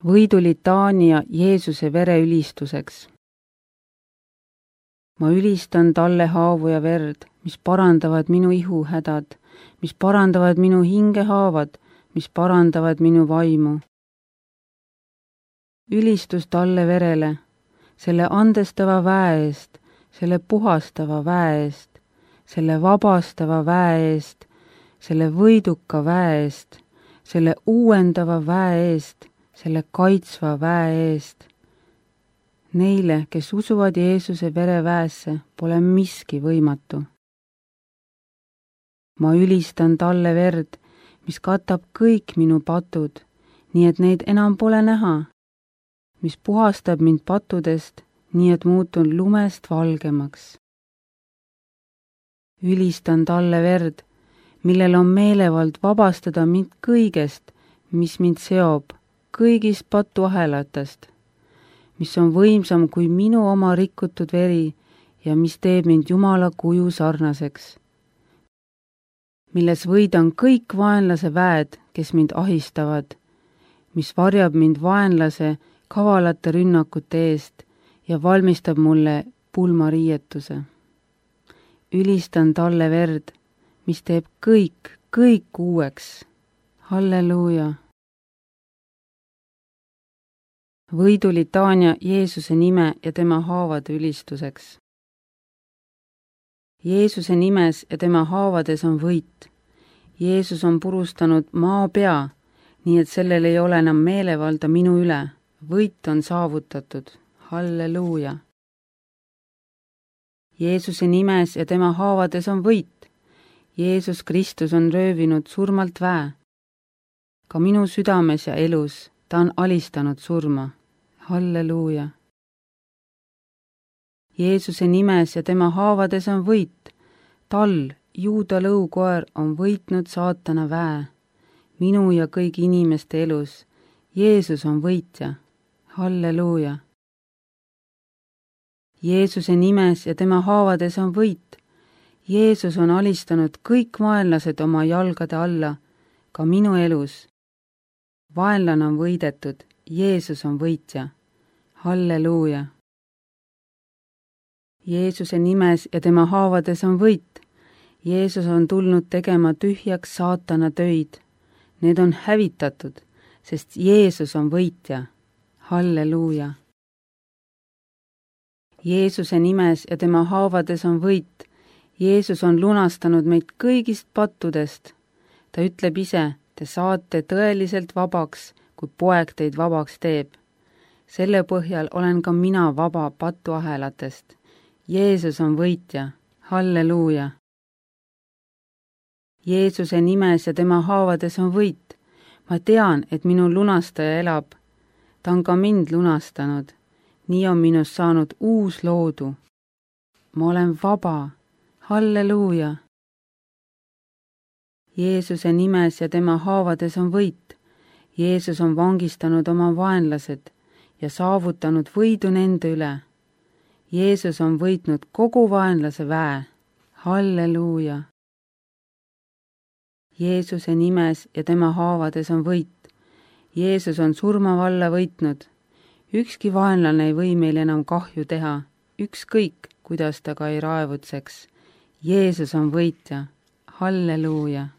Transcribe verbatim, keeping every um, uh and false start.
võidulitaania Jeesuse vere ülistuseks. Ma ülistan talle haavu ja verd, mis parandavad minu ihuhädad, mis parandavad minu hingehaavad, mis parandavad minu vaimu. Ülistus talle verele, selle andestava väe eest, selle puhastava väe eest, selle vabastava väe eest, selle võiduka väe eest, selle uuendava väe eest, selle kaitsva väe eest. Neile, kes usuvad Jeesuse vereväesse, pole miski võimatu. Ma ülistan talle verd, mis katab kõik minu patud, nii et neid enam pole näha, mis puhastab mind pattudest, nii et muutun lumest valgemaks. Ülistan talle verd, millel on meelevald vabastada mind kõigest, mis mind seob, kõigist patuahelatest, mis on võimsam kui minu oma rikutud veri ja mis teeb mind Jumala kuju sarnaseks, milles võidan kõik vaenlase väed, kes mind ahistavad, mis varjab mind vaenlase kavalate rünnakute eest ja valmistab mulle pulmariietuse. Ülistan talle verd, mis teeb kõik, kõik uueks. Halleluuja! Võidulitaania Jeesuse nime ja tema haavade ülistuseks. Jeesuse nimes ja tema haavades on võit. Jeesus on purustanud maa pea, nii et sellel ei ole enam meelevalda minu üle. Võit on saavutatud. Halleluuja! Jeesuse nimes ja tema haavades on võit. Jeesus Kristus on röövinud surmalt väe. Ka minu südames ja elus ta on alistanud surma. Halleluuja! Jeesuse nimes ja tema haavades on võit. Tal, Juuda lõukoer, on võitnud saatana väe. Minu ja kõigi inimeste elus. Jeesus on võitja. Halleluuja! Jeesuse nimes ja tema haavades on võit. Jeesus on alistanud kõik vaenlased oma jalgade alla, ka minu elus. Vaenlane on võidetud, Jeesus on võitja. Halleluuja! Jeesuse nimes ja tema haavades on võit. Jeesus on tulnud tegema tühjaks saatana töid. Need on hävitatud, sest Jeesus on võitja. Halleluuja! Jeesuse nimes ja tema haavades on võit. Jeesus on lunastanud meid kõigist pattudest. Ta ütleb ise, te saate tõeliselt vabaks, kui poeg teid vabaks teeb. Selle põhjal olen ka mina vaba patuahelatest. Jeesus on võitja. Halleluuja! Jeesuse nimes ja tema haavades on võit. Ma tean, et minu lunastaja elab. Ta on ka mind lunastanud. Nii on minust saanud uus loodu. Ma olen vaba. Halleluuja! Jeesuse nimes ja tema haavades on võit. Jeesus on vangistanud oma vaenlased ja saavutanud võidu nende üle. Jeesus on võitnud kogu vaenlase väe. Halleluuja! Jeesuse nimes ja tema haavades on võit. Jeesus on surmavalla võitnud. Ükski vaenlane ei või meil enam kahju teha, ükskõik, kuidas ta ka ei raevutseks. Jeesus on võitja. Halleluuja!